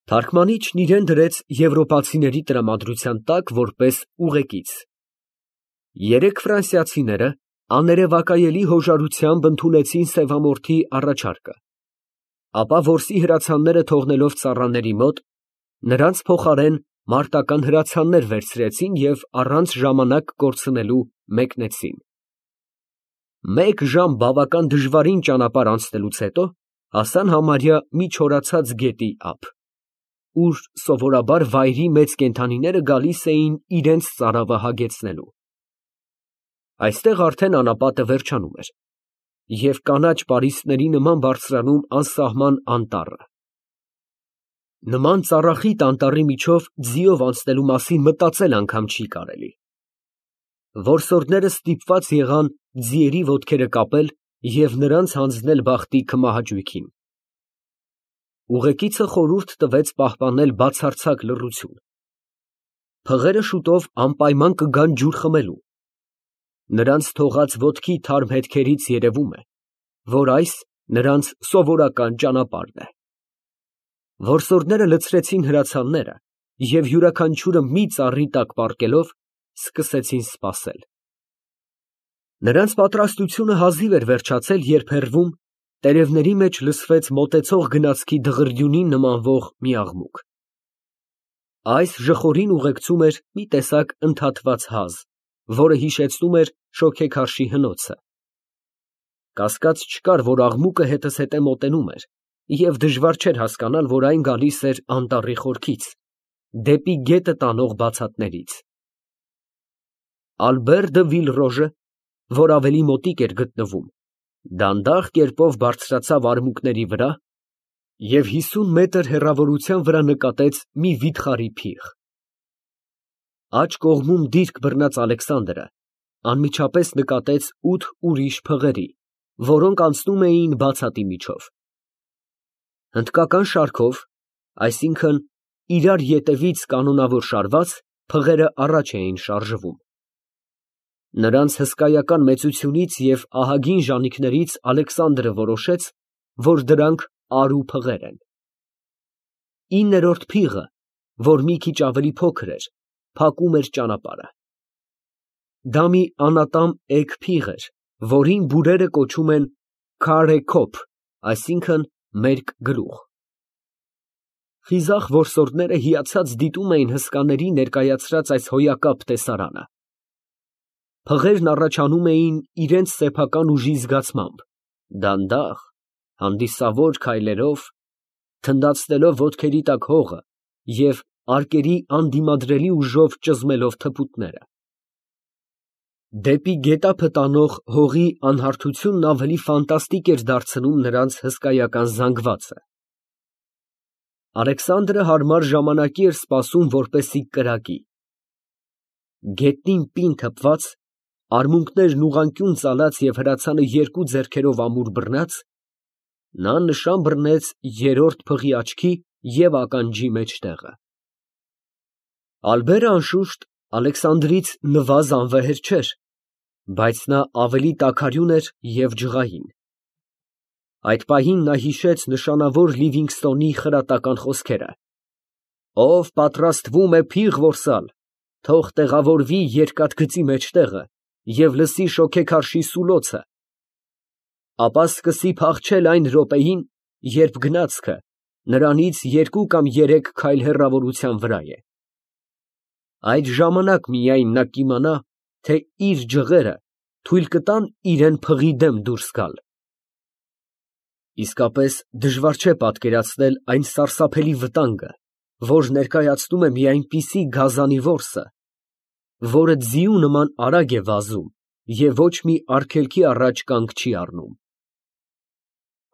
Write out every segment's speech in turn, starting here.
Թարգմանիչն իրան դրեց եվրոպացիների տրամադրության տակ որպես ուղեկից։ Երեք ֆրանսիացիները աներևակայելի հոժարությամբ ընդունեցին սևամորթի առաջարկը, ապա որսի հրացանները թողնելով ծառաների մոտ, նրանց փոխարեն մարտական հրացաններ վերցրեցին և առանց ժամանակ կորցնելու մեկնեցին։ Մեկ ժամ բավական դժվարին ճանապարհ անցնելուց հետո հասան համարյա մի չորացած գետի ափ, ուր սովորաբար վայրի մեծ կենդանիները գալիս էին իրանց ծարավը հագեցնելու։ Այստեղ արդեն անապատը վերջանում էր և կանաչ պարիսպների նման բարձրանում անսահման անտառը։ Նման ծառախիտ անտառի միջով ձիով անցնելու մասին մտածել անգամ չի կարելի։ Որսորդները ստիպված եղան ձիերի ոտքերը կապել և նրանց հանձնել բախտի քմահաճույքին։ Ուղեկիցը խորհուրդ տվեց պահպանել բացարձակ լռություն։ Փղերը շուտով անպայման կգան ջուր խմելու։ Նրանց թողած ոտքի թարմ հետքերից երևում է, որ այս նրանց սովորական ճանապարհն է։ Որսորդները լցրեցին հրացանները և յուրաքանչյուրը մի ծառի տակ պառկելով սկսեցին սպասել։ Նրանց պատրաստությունը հազիվ էր վերջացել, երբ հեռվում տերևների մեջ լսվեց մոտեցող գնացքի դղրդյունին նմանվող մի աղմուկ։ Այս ժխորին ուղեկցում էր մի տեսակ ընդհատված հազ, որը հիշեցնում էր շոգեքարշի հնոցը։ Կասկած չկար, որ աղմուկը հետզհետե մոտենում էր, և դժվար չէր հասկանալ, որ այն գալիս էր անտառի խորքից, դեպի գետը տանող բացատներից։ Ալբեր դը Վիլրոժը, որ ավելի մոտիկ էր գտնվում, դանդաղ կերպով բարձրացավ արմունկների վրա և 50 մետր հեռավորության վրա նկատեց մի վիթխարի փիղ։ Աջ կողմում դիրք բռնած Ալեքսանդրը անմիջապես նկատեց 8 ուրիշ փղերի, որոնք անցնում էին բացատի միջով։ Հնդկական շարքով, այսինքն իրար ետևից կանոնավոր շարված, փղերը առաջ էին շարժվում։ Նրանց հսկայական մեծությունից և ահագին ժանիքներից Ալեքսանդրը որոշեց, որ դրանք արու փղեր են։ 9-րդ փիղը, որ մի քիչ ավելի փոքր էր, փակում էր ճանապարհը։ Դա մի անատամ էգ փիղ էր, որին բուրերը կոչում են քարե քոփ, այսինքն մերկ գլուխ։ Խիզախ որսորդները հիացած դիտում էին հսկաների ներկայացրած այս հոյակապ տեսարանը։ Փղերն առաջանում էին իրենց սեփական ուժի զգացմամբ, դանդաղ, հանդիսավոր քայլերով, թնդացնելով ոտքերի տակ հողը և արկերի անդիմադրելի ուժով ճզմելով թփուտները։ Դեպի գետափը տանող հողի անհարթությունն ավելի ֆանտաստիկ էր դարձնում նրանց հսկայական զանգվածը։ Ալեքսանդրը հարմար ժամանակի էր սպասում, որպեսզի կրակի։ Գետնին պինդ հպված, արմունկներն ուղղանկյուն ծալած և հրացանը երկու ձեռքերով ամուր բռնած, նա նշան բռնեց երրորդ փղի աչքի և ականջի մեջտեղը։ Ալբերը, անշուշտ, Ալեքսանդրից նվազ անվեհեր չէր, բայց նա ավելի տաքարյուն էր և ջղային։ Այդ պահին նա հիշեց նշանավոր Լիվինգսթոնի խրատական խոսքերը. «Ով պատրաստվում է փիղ որսալ, թող տեղավորվի երկաթգծի մեջտեղը և լսի շոգեքարշի սուլոցը, ապա սկսի փախչել այն րոպեին, երբ գնացքը նրանից 2 կամ 3 քայլ հեռավորության վրա է։ Այդ ժամանակ միայն նա կիմանա, թե իր ջղերը թույլ կտան իրան փղի դեմ դուրս գալ»։ Իսկապես դժվար չէ պատկերացնել այն սարսափելի վտանգը, որ ներկայացնում է մի այնպիսի գազանի որսը, որը ձիու նման արագ է վազում և ոչ մի արգելքի առաջ կանգ չի առնում։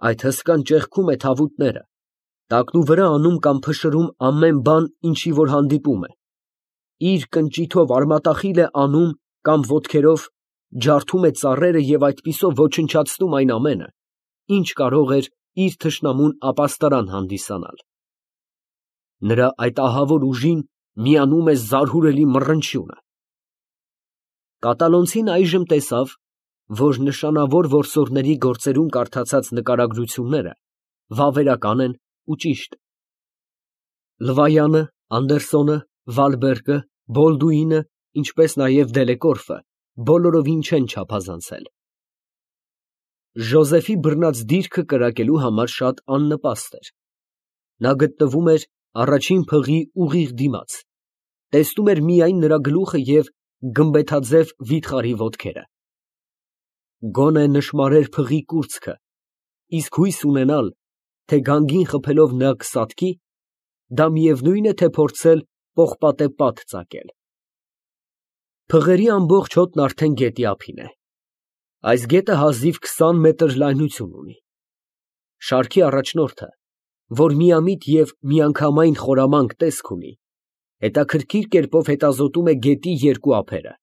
Այդ հսկան ճեղքում է թավուտները, տակնուվրա անում կամ փշրում ամեն բան, ինչի որ հանդիպում է, իր կնճիթով արմատախիլ է անում կամ ոտքերով ջարդում է ծառերը և այդպիսով ոչնչացնում այն ամենը, ինչ կարող էր իր թշնամուն ապաստարան հանդիսանալ։ Նրա այդ ահավոր ուժին միանում է զարհուրելի մռնչյունը։ Կատալոնցին այժմ տեսավ, որ նշանավոր որսորդների գործերում կարդացած նկարագրությունները վավերական են ու ճիշտ։ Լվայանը, Անդերսոնը, Վալբերգը, Բոլդուինը, ինչպես նաև Դելեկորֆը բոլորովին չեն չափազանցել։ Ժոզեֆի բռնած դիրքը կրակելու համար շատ աննպաստ էր։ Նա գտնվում էր առաջին փղի ուղիղ դիմաց, տեսնում էր միայն նրա գլուխը և գմբեթաձև վիթխարի ոտքերը։ Գոնե նշմարեր փղի կուրծքը, իսկ հույս ունենալ, թե գանգին խփելով նա կսատկի, դա միևնույն է, թե փորձել պողպատե պատ ծակել։ Փղերի ամբողջ հոտն արդեն գետի ափին է։ Այս գետը հազիվ 20 մետր լայնություն ունի։ Շարքի առաջնորդը, որ միամիտ և միանգամայն խորամանկ տեսք ունի, հետաքրքիր կերպով հետազոտում է գետի երկու ափերը։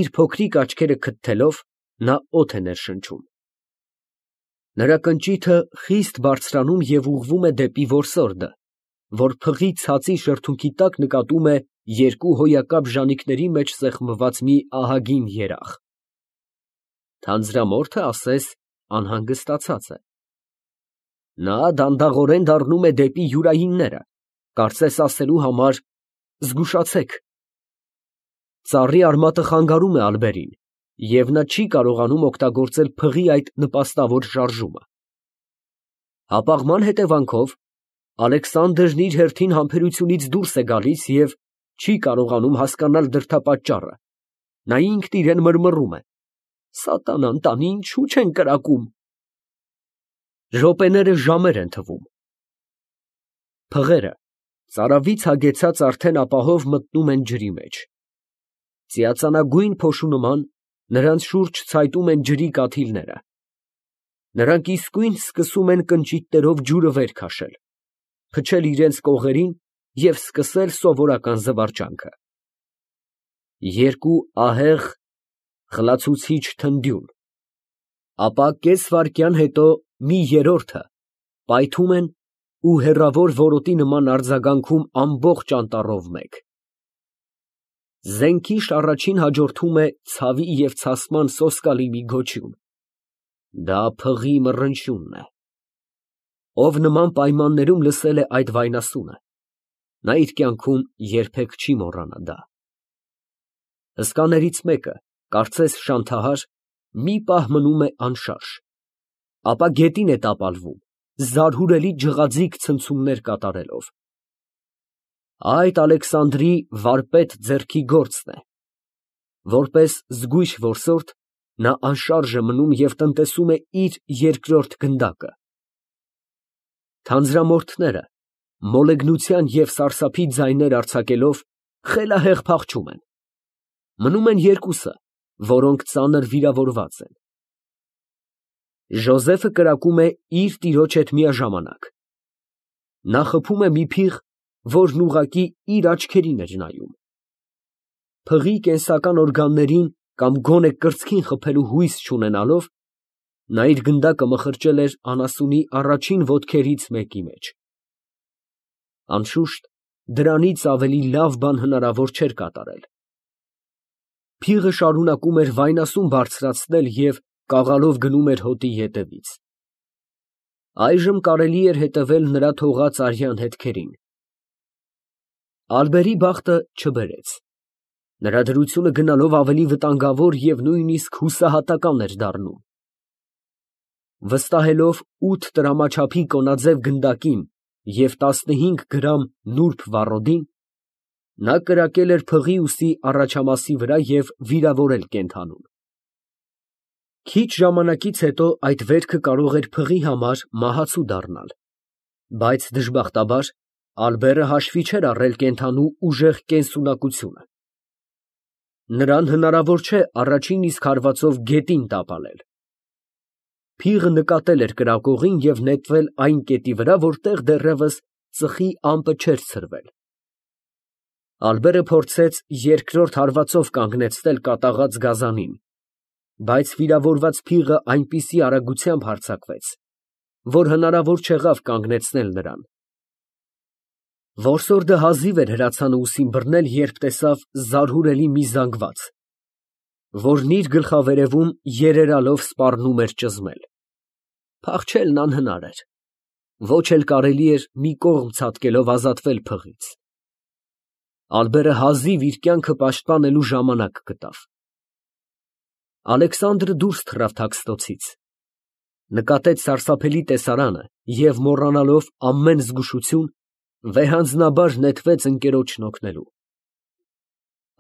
Իր փոքրիկ աչքերը քթթելով, նա օդ է ներշնչում։ Նրա կնճիթը խիստ բարձրանում և ուղղվում է դեպի որսորդը, որ փղի ցածի շրթունքի տակ նկատում է երկու հոյակապ ժանիքների մեջ սեղմված մի ահագին երախ։ Թանձրամորթը, ասես, անհանգստացած է։ Նա դանդաղորեն դառնում է դեպի յուրայինները, կարծես ասելու համար. «Զգուշացեք»։ Ծառի արմատը խանգարում է Ալբերին, և նա չի կարողանում օգտագործել փղի այդ նպաստավոր շարժումը։ Հապաղման հետևանքով Ալեքսանդրն իր հերթին համբերությունից դուրս է գալիս և չի կարողանում հասկանալ դրդապատճառը։ Նա ինքն իրան մռմռում է. «Սատանան տանի, ինչու չեն կրակում»։ Րոպեները ժամեր են թվում։ Փղերը ծարավից հագեցած արդեն ապահով մտնում են ջրի մեջ։ Ծիածանագույն փոշու նման նրանց շուրջ ցայտում են ջրի կաթիլները։ Նրանք իսկույն սկսում են կնճիթներով ջուրը վեր քաշել, փչել իրենց կողերին և սկսել սովորական զվարճանքը։ Երկու ահեղ, խլացուցիչ թնդյուն, ապա կես վայրկյան հետո մի երրորդը պայթում են ու հեռավոր որոտի նման արձագանքում ամբողջ անտառով մեկ։ Զենքիշ առաջին հաջորդում է ցավի և ցասման սոսկալի մի գոչյուն։ Դա փղի մռնչյունն է։ Ով նման պայմաններում լսել է այդ վայնասունը, նա իր կյանքում երբեք չի մոռանա դա։ Հսկաներից մեկը, կարծես շանթահար, մի պահ մնում է անշարժ, ապա գետին է տապալվում, զարհուրելի ջղաձիգ ցնցումներ կատարելով։ Այդ Ալեքսանդրի վարպետ ձեռքի գործն է։ Որպես զգույշ որսորդ, նա անշարժ է մնում և տնտեսում է իր երկրորդ գնդակը։ Թանձրամորթները, մոլեգնության և սարսափի ձայներ արձակելով, խելահեղ փախչում են։ Մնում են երկուսը, որոնք ծանր վիրավորված են։ Ժոզեֆը կրակում է իր տիրոջ հետ միաժամանակ։ Նա խփում է մի փիղ, որն ուղղակի իր աչքերին էր նայում։ Փղի կենսական օրգաններին կամ գոնե կրծքին խփելու հույս չունենալով, նա իր գնդակը մխրճել էր անասունի առաջին ոտքերից մեկի մեջ։ Անշուշտ, դրանից ավելի լավ բան հնարավոր չէր կատարել։ Փիղը շարունակում էր վայնասուն բարձրացնել և կաղալով գնում էր հոտի ետևից։ Այժմ կարելի էր հետևել նրա թողած արյան հետքերին։ Ալբերի բախտը չբերեց։ Նրա դրությունը գնալով ավելի վտանգավոր և նույնիսկ հուսահատական էր դառնում։ Վստահելով 8 տրամաչափի կոնաձև գնդակին և 15 գրամ նուրբ վառոդին, նա կրակել էր փղի ուսի առաջամասի վրա և վիրավորել կենդանուն։ Քիչ ժամանակից հետո այդ վերքը կարող էր փղի համար մահացու դառնալ, բայց դժբախտաբար Ալբերը հաշվի չէր առել կենդանու ուժեղ կենսունակությունը։ Նրան հնարավոր չէ առաջին իսկ հարվածով գետին տապալել։ Փիղը նկատել էր կրակողին և նետվել այն կետի վրա, որտեղ դեռևս ծխի ամպը չէր ցրվել։ Ալբերը փորձեց երկրորդ հարվածով կանգնեցնել կատաղած գազանին, բայց վիրավորված փիղը այնպիսի արագությամբ հարձակվեց, որ հնարավոր չեղավ կանգնեցնել նրան։ Որսորդը հազիվ էր հրացանը ուսին բռնել, երբ տեսավ զարհուրելի մի զանգված, որն իր գլխավերևում երերալով սպառնում էր ճզմել։ Փախչելն անհնար էր։ Ոչ էլ կարելի էր մի կողմ ցատկելով ազատվել փղից։ Ալբերը հազիվ իր կյանքը պաշտպանելու ժամանակ գտավ։ Ալեքսանդրը դուրս թռավ թաքստոցից, նկատեց սարսափելի տեսարանը և, մոռանալով ամեն զգուշություն, վեհանձնաբար նետվեց ընկերոջն օգնելու։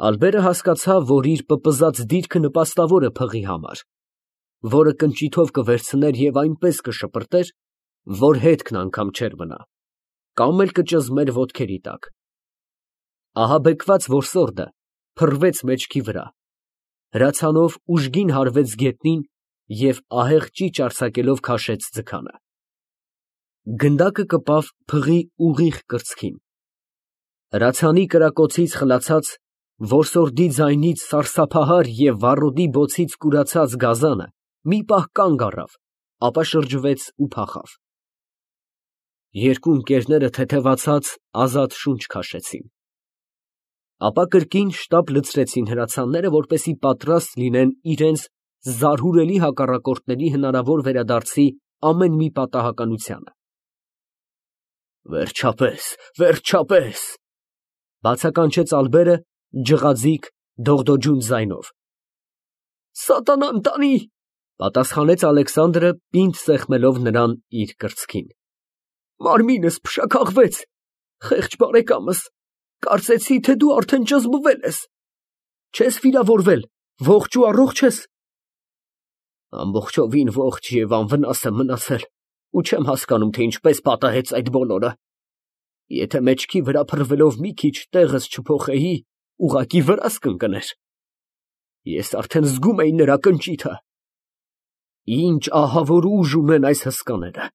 Ալբերը հասկացավ, որ իր պպզած դիրքը նպաստավոր է փղի համար, որը կնճիթով կվերցներ և այնպես կշպրտեր, որ հետքն անգամ չէր մնա, կամ էլ կճզմեր ոտքերի տակ։ Ահաբեկված որսորդը փռվեց մեջքի վրա, հրացանով ուժգին հարվեց գետնին և ահեղ ճիճ արձակելով քաշեց ձգանը։ Գնդակը կպավ փղի ուղիղ կրծքին։ Հրացանի կրակոցից խլացած, որսորդի ձայնից սարսափահար և վառոդի բոցից կուրացած գազանը մի պահ կանգ առավ, ապա շրջվեց ու փախավ։ Երկու ընկերները թեթևացած ազատ շունչ քաշեցին։ Ապա կրկին շտապ լցրեցին հրացանները, որպեսզի պատրաստ լինեն իրենց զարհուրելի հակառակորդների հնարավոր վերադարձի ամեն մի պատահականությանը։ Վերջապես, վերջապես, բացականչեց Ալբերը ջղաձիգ, դողդոջուն ձայնով։ Սատանան տանի, պատասխանեց Ալեքսանդրը, պինդ սեղմելով նրան իր կրծքին։ Մարմինս փշաքաղվեց, խեղճ բարեկամս, կարծեցի, թե դու արդեն ճզմվել ես։ Չես վիրավորվել, ողջ ու առողջ ես։ Ամբողջովին ողջ և անվնաս եմ մնացել ու չեմ հասկանում, թե ինչպես պատահեց այդ բոլորը։ Եթե մեջքի վրա փռվելով մի քիչ տեղս չփոխեի, ուղղակի վրաս կընկներ։ Ես արդեն զգում էի նրա կնճիթը։ Ինչ ահավոր ուժ ունեն այս հսկաները։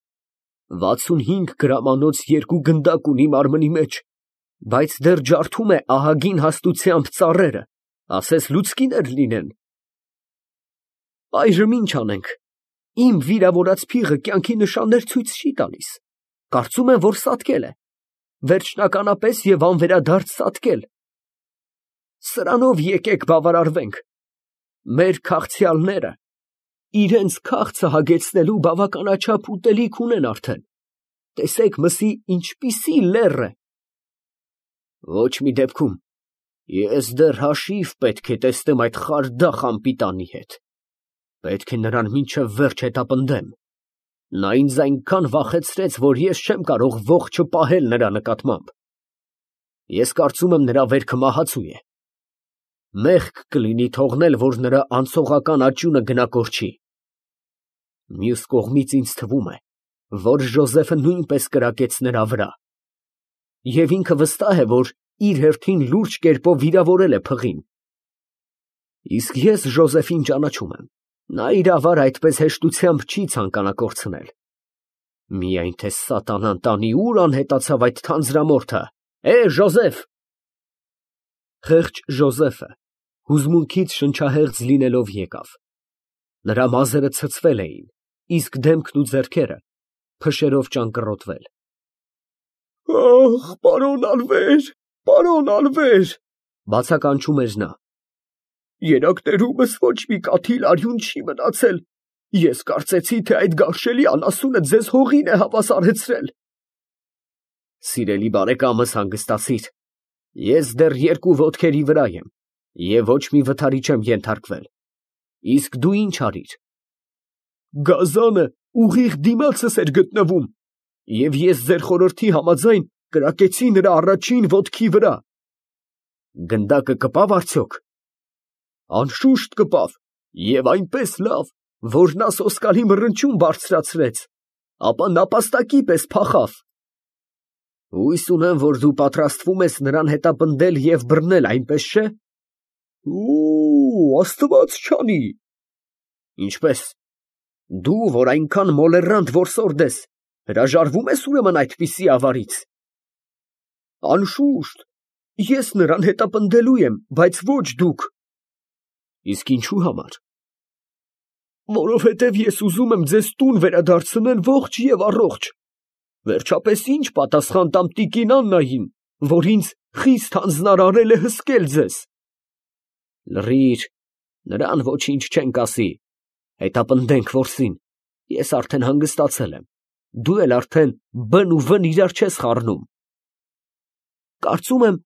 65 գրամանոց երկու գնդակ ունի մարմնի մեջ, բայց դեռ ջարդում է ահագին հաստությամբ ծառերը, ասես լուցկիներ լինեն։ Այժմ ինչ անենք։ Իմ վիրավորած փիղը կյանքի նշաններ ցույց չի տալիս։ Կարծում եմ, որ սատկել է։ Վերջնականապես և անվերադարձ սատկել։ Սրանով եկեք բավարարվենք։ Մեր քաղցյալները իրենց քաղցը հագեցնելու բավականաչափ ուտելիք ունեն արդեն։ Տեսեք մսի ինչպիսի լեռ է։ Ոչ մի դեպքում ես դեռ հաշիվ պետք է տեսնեմ այդ խարդախ անպիտանի հետ։ Պետք է նրան մինչև վերջ հետապնդեմ։ Նա ինձ այնքան վախեցրեց, որ ես չեմ կարող ողջը պահել նրա նկատմամբ։ Ես կարծում եմ, նրա վերքը մահացու է։ Մեղք կլինի թողնել, որ նրա անցողական աճյունը գնա կորչի։ Մյուս կողմից ինձ թվում է, որ Ժոզեֆը նույնպես կրակեց նրա վրա։ Եվ ինքը վստահ է, որ իր հերթին լուրջ կերպով վիրավորել է փղին։ Իսկ ես Ժոզեֆին ճանաչում եմ։ Նա իրավար այդպես հեշտությամբ չի ցանկանա կորցնել։ Միայն թե սատանան տանի ուր անհետացավ այդ թանձրամորթը։ Ժոզեֆ։ Խեղճ Ժոզեֆը հուզմունքից շնչահեղձ լինելով եկավ։ Նրա մազերը ցցվել էին, իսկ դեմքն ու ձեռքերը փշերով ճանկռոտվել։ Ախ, պարոն Ալվեր, բացականչում էր նա։ Երակներումս ոչ մի կաթիլ արյուն չի մնացել։ Ես կարծեցի, թե այդ գարշելի անասունը ձեզ հողին է հավասարեցրել։ Սիրելի բարեկամս, հանգստացիր։ Ես դեռ երկու ոտքերի վրա եմ և ոչ մի վթարի չեմ ենթարկվել։ Իսկ դու ինչ արիր։ Գազանը ուղիղ դիմացս էր գտնվում, և ես ձեր խորհրդի համաձայն կրակեցի նրա առաջին ոտքի վրա։ Գնդակը կպավ արդյոք։ Անշուշտ կպավ, և այնպես լավ, որ նա սոսկալի մռնչյուն բարձրացրեց, ապա նապաստակի պես փախավ։ Հույս ունեմ, որ դու պատրաստվում ես նրան հետապնդել և բռնել, այնպես չէ։ Աստված չանի։ Ինչպես։ Դու, որ այնքան մոլեռանդ որսորդ ես, հրաժարվո՞ւմ ես ուրեմն այդպիսի ավարից։ Անշուշտ, ես նրան հետապնդելու եմ, բայց ոչ դուք։ Իսկ ինչու համար։ Որովհետև ես ուզում եմ ձեզ տուն վերադարձնել ողջ և առողջ։ Վերջապես ինչ պատասխան տամ տիկին Աննային, որ ինձ խիստ հանձնարարել է հսկել ձեզ։ Լռիր, նրան ոչինչ չենք ասի։ Հետապնդենք որսին, ես արդեն հանգստացել եմ։ դու էլ արդեն բն ու վն իրար չես խառնում։ Կարծում եմ,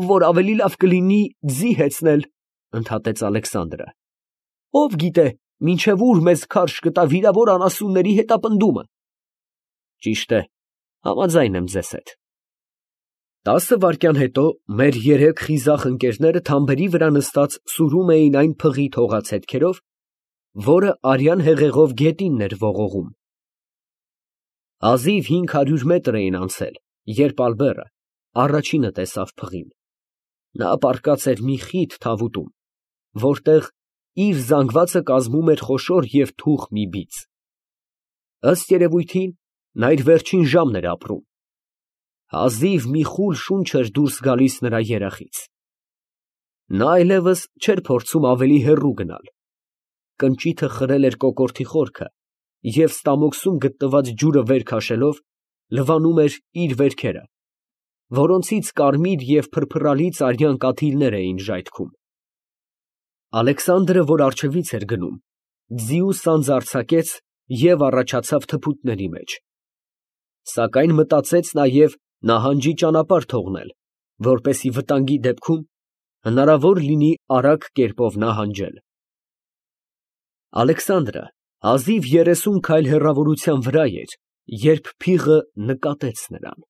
որ ավելի լավ կլինի ձի հեծնել, ընդհատեց Ալեքսանդրը։ Ով գիտե, մինչև ուր մեզ քարշ կտա վիրավոր անասունների հետապնդումը։ Ճիշտ է, համաձայն եմ ձեզ հետ։ 10 վայրկյան հետո մեր երեք խիզախ ընկերները թամբերի վրա նստած սուրում էին այն փղի թողած հետքերով, որը արյան հեղեղով գետինն էր ողողում։ Հազիվ 500 մետր էին անցել, երբ Ալբերը առաջինը տեսավ փղին։ Նա պառկած էր մի խիտ թավուտում, որտեղ իր զանգվածը կազմում էր խոշոր և թուխ մի բիծ։ Ըստ երևույթին, նա իր վերջին ժամն էր ապրում։ Հազիվ մի խուլ շունչ էր դուրս գալիս նրա երախից։ Նա այլևս չէր փորձում ավելի հեռու գնալ։ Կնճիթը խրել էր կոկորդի խորքը և ստամոքսում գտնված ջուրը վեր քաշելով, լվանում էր իր վերքերը, որոնցից կարմիր և փրփրալից արյան կաթիլներ էին ժայթքում։ Ալեքսանդրը, որ առջևից էր գնում, ձիու սանձը արձակեց և առաջացավ թփուտների մեջ։ Սակայն մտածեց նաև նահանջի ճանապարհ թողնել, որպեսզի վտանգի դեպքում հնարավոր լինի արագ կերպով նահանջել։ Ալեքսանդրը հազիվ 30 քայլ հեռավորության վրա էր, երբ փիղը նկատեց նրան։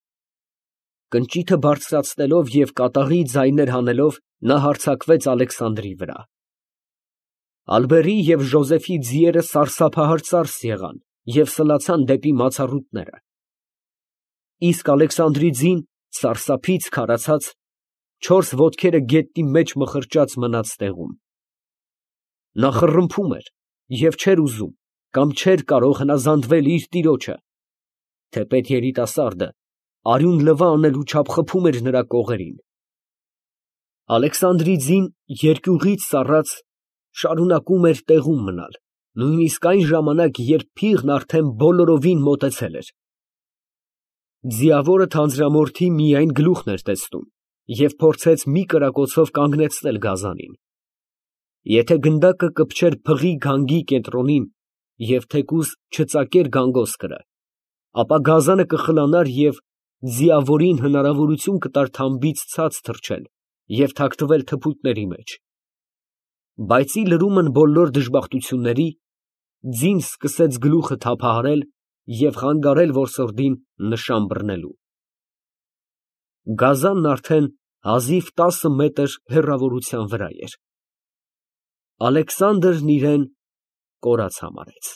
Կնճիթը բարձրացնելով և կատաղի ձայներ հանելով, նա հարձակվեց Ալեքսանդրի վրա։ Ալբերի և Ժոզեֆի ձիերը սարսափահար ծարս եղան և սլացան դեպի մացառուտները։ Իսկ Ալեքսանդրի ձին, սարսափից քարացած, 4 ոտքերը գետնի մեջ մխրճած մնաց տեղում։ Նա խռմփում էր և չէր ուզում կամ չէր կարող հնազանդվել իր տիրոջը, թեպետ երիտասարդը արյուն լվա անելու չափ խփում էր նրա կողերին։ Ալեքսանդրի ձին երկյուղից սառած շարունակում էր տեղում մնալ, նույնիսկ այն ժամանակ, երբ փիղն արդեն բոլորովին մոտեցել էր։ Ձիավորը թանձրամորթի միայն գլուխն էր տեսնում և փորձեց մի կրակոցով կանգնեցնել գազանին։ Եթե գնդակը կպչեր փղի գանգի կենտրոնին և թեկուզ չծակեր գանգոսկրը, ապա գազանը կխլանար և ձիավորին հնարավորություն կտար թամբից ցած թռչել և թաքնվել թփուտների մեջ։ Բայց ի լրումն բոլոր դժբախտությունների, ձին սկսեց գլուխը թափահարել և խանգարել որսորդին նշան բռնելու։ Գազանն արդեն հազիվ 10 մետր հեռավորության վրա էր։ Ալեքսանդրն իրան կորած համարեց։